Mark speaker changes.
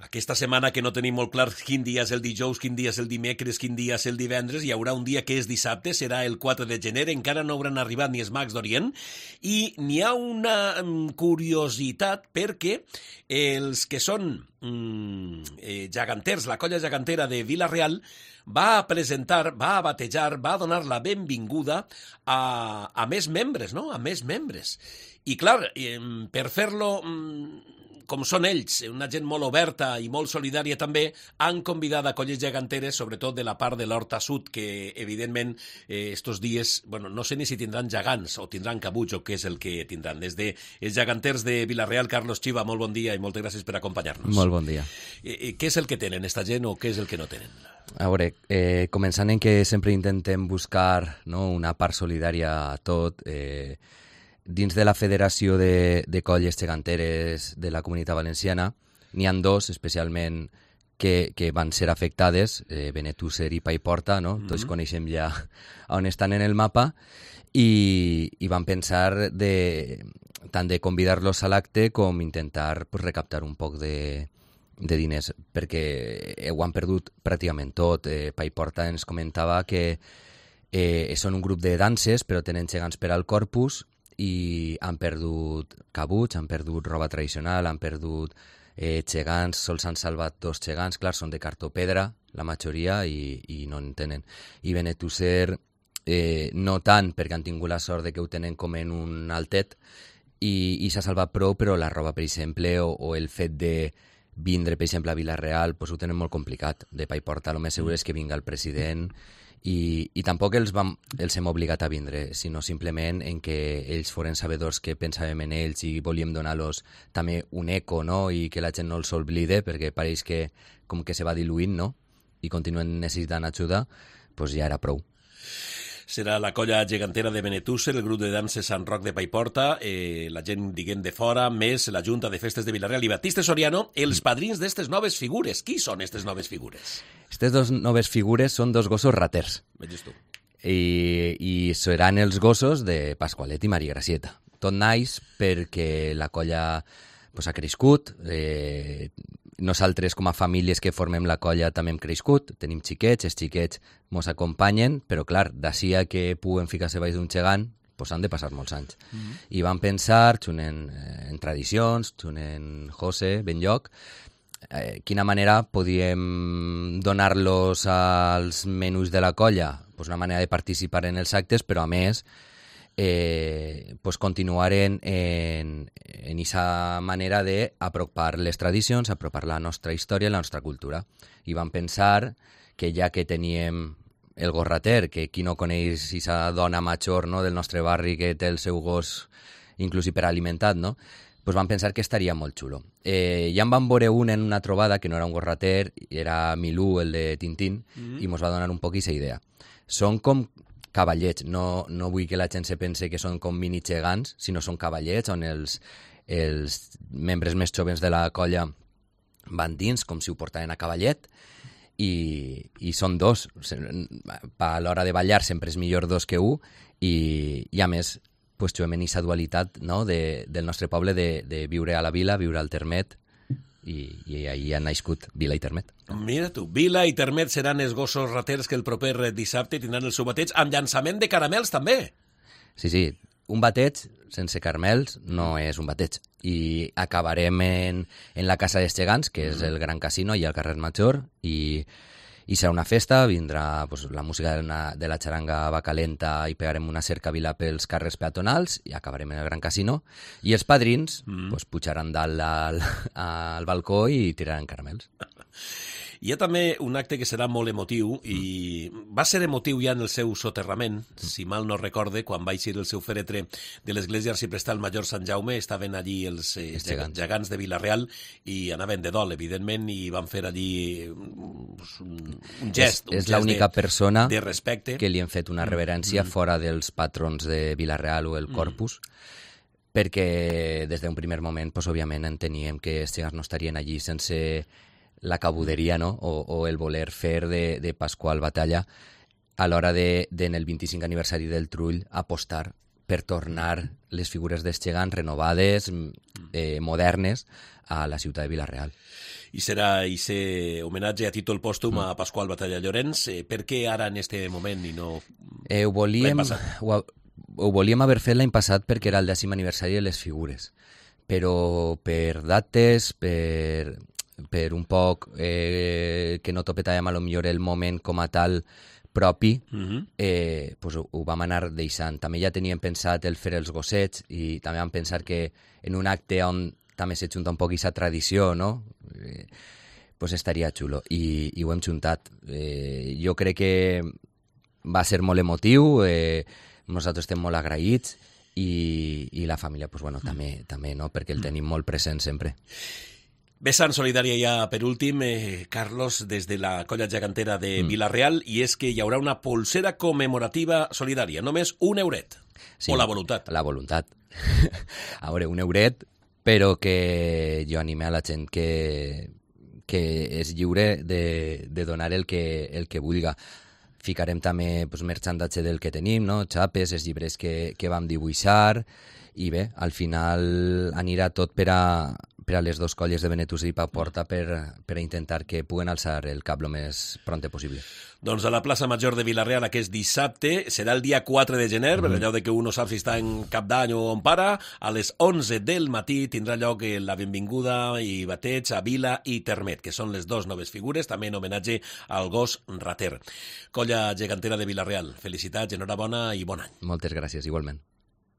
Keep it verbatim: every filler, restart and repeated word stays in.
Speaker 1: Aquesta setmana que no tenim molt clar quin dia és el dijous, quin dia és el dimecres, quin dia és el divendres, hi haurà un dia que és dissabte, serà el quatre de gener, encara no hauran arribat ni els mags d'Orient, i n'hi ha una curiositat perquè els que són mm, eh, geganters, la colla gegantera de Vila-real, va a presentar, va a batejar, va a donar la benvinguda a, a més membres, no? A més membres. I clar, eh, per fer-lo... Mm, com són ells, una gent molt oberta i molt solidària també, han convidat a colles geganteres, sobretot de la part de l'Horta Sud, que evidentment eh, estos dies, bueno, no sé ni si tindran gegants o tindran cabuts o què és el que tindran. Des de els geganters de Vila-real, Carlos Chiva, molt bon dia i moltes gràcies per acompanyar-nos.
Speaker 2: Molt bon dia.
Speaker 1: Eh, què és el que tenen esta gent o què és el que no tenen?
Speaker 2: A veure, eh, començant en que sempre intentem buscar, no, una part solidària a tot, eh, dins de la Federació de, de Colles Geganteres de la Comunitat Valenciana n'hi ha dos, especialment, que, que van ser afectades, eh, Benetússer i Paiporta, no? Mm-hmm. Tots coneixem ja on estan en el mapa, i, i van pensar de, tant de convidar-los a l'acte com intentar pues, recaptar un poc de, de diners, perquè ho han perdut pràcticament tot. Eh, Paiporta ens comentava que eh, són un grup de danses, però tenen gegants per al corpus, i han perdut cabuts, han perdut roba tradicional, han perdut eh, gegants, sols han salvat dos gegants, clar, són de cartó-pedra, la majoria, i, i no en tenen. I Benetússer, eh, no tant, perquè han tingut la sort de que ho tenen com en un altet, i, i s'ha salvat prou, però la roba, per exemple, o, o el fet de vindre, per exemple, a Vila-real, pues ho tenen molt complicat. De Paiporta, el més segur és que vinga el president, I, i tampoc els, vam, els hem obligat a vindre, sinó simplement en que ells foren sabedors que pensàvem en ells i volíem donar-los també un eco, no? I que la gent no els oblide, perquè pareix que com que se va diluint, no? I continuen necessitant ajuda, doncs ja era prou.
Speaker 1: Serà la colla gegantera de Benetússer, el grup de danses Sant Roc de Paiporta, eh, la gent, diguem, de fora, més la Junta de Festes de Vila-real i Batista Soriano, els padrins d'estes noves figures. Qui són aquestes noves figures?
Speaker 2: Aquestes dues noves figures són dos gossos raters.
Speaker 1: Veges tu.
Speaker 2: I, i seran els gossos de Pasqualet i Maria Gracieta. Tot naix perquè la colla pues, ha crescut, eh, nosaltres com a famílies que formem la colla també hem crescut, tenim xiquets, els xiquets mos acompanyen, però clar, d'ací a que puguen ficar-se baix d'un gegant, pues han de passar molts anys. Mm-hmm. I van pensar, xunen eh, en tradicions, xunen José, Benlloc, eh, quina manera podíem donar-los als menús de la colla? Pues una manera de participar en els actes, però a més Eh, pues continuar en, en, en esa manera de apropar les tradicions, apropar la nostra història i la nostra cultura. I vam pensar que ja que teníem el gorrater, que qui no coneix esa dona major, no, del nostre barri que té el seu gos inclús hiperalimentat, no? Pues vam pensar que estaria molt xulo. Eh, ja en vam veure un en una trobada que no era un gorrater, era Milú, el de Tintín, mm-hmm. i mos va donar un poc aquesta idea. Són com cavallets, no, no vull que la gent se pense que són com mini gegants, sinó són cavallets on els, els membres més joves de la colla van dins com si ho portaven a cavallet i, i són dos. A l'hora de ballar sempre és millor dos que un i, i a més pues, trobem en aquesta dualitat, no, de, del nostre poble de, de viure a la vila, viure al termet, i, i ahí han nascut Vila i Termet.
Speaker 1: Mira tu, Vila i Termet seran els gossos raters que el proper dissabte tindran el seu bateig amb llançament de caramels també.
Speaker 2: Sí, sí, un bateig sense caramels no és un bateig. I acabarem en, en la Casa dels Gegants, que és el gran casino, i al carrer Major, i, i serà una festa, vindrà pues, la música de, una, de la xaranga va calenta i pegarem una cercavila pels carrers peatonals i acabarem en el gran casino. I els padrins mm. pues, pujaran dalt al, al balcó i tiraran caramels.
Speaker 1: Hi ha també un acte que serà molt emotiu i va ser emotiu ja en el seu soterrament, si mal no recorde, quan va eixir el seu fèretre de l'església arciprestal Major Sant Jaume, estaven allí els eh, gegants. gegants de Vila-real i anaven de dol, evidentment, i van fer allí un, un gest,
Speaker 2: és,
Speaker 1: un
Speaker 2: és l'única
Speaker 1: de,
Speaker 2: persona
Speaker 1: de respecte
Speaker 2: que li han fet una reverència mm. fora dels patrons de Vila-real o el Corpus, mm. perquè des d'un primer moment, pues, òbviament, enteníem que els gegants no estarien allí sense la cabuderia, no? o, o el voler fer de, de Pasqual Batalla a l'hora de, de, en el vint-i-cinc aniversari del Trull, apostar per tornar les figures dels gegants renovades, eh, modernes, a la ciutat de Vila-real.
Speaker 1: I serà aquest homenatge a títol pòstum mm. a Pasqual Batalla Llorenç. Eh, per què ara en este moment i no
Speaker 2: eh, ho volíem, ho, ho volíem haver fet l'any passat perquè era el dècim aniversari de les figures, però per dates, per, per un poc eh, que no topetàvem a lo millor el moment com a tal propi, uh-huh. eh, pues ho, ho vam anar deixant. També ja teníem pensat el fer els gossets i també vam pensar que en un acte on també se junta un poc aquesta tradició, no? Eh, pues estaria xulo. I, i ho hem juntat. Eh, jo crec que va ser molt emotiu, eh, nosaltres estem molt agraïts i, i la família, pues bueno, també, també, no? Perquè el tenim molt present sempre.
Speaker 1: Vessant solidària ja per últim, eh, Carlos, des de la colla gegantera de mm. Vila-real, i és que hi haurà una polsera commemorativa solidària, només un euret. Sí, o la voluntat.
Speaker 2: La voluntat. A veure, un euret, però que jo anime a la gent que, que és lliure de, de donar el que, el que vulga. Ficarem també pues, merchandatge del que tenim, no? Xapes, els llibres que, que vam dibuixar, i bé, al final anirà tot per a, per a les dues colles de Benetús i Paiporta per, per a intentar que puguen alçar el cap el més prompte possible.
Speaker 1: Doncs a la plaça Major de Vila-real aquest dissabte serà el dia quatre de gener, mm-hmm. per allò de que un no sap si està en cap d'any o on para, a les onze del matí tindrà lloc la benvinguda i bateig a Vila i Termet, que són les dues noves figures, també en homenatge al gos rater. Colla gegantera de Vila-real, felicitats, enhorabona i bon any.
Speaker 2: Moltes gràcies, igualment.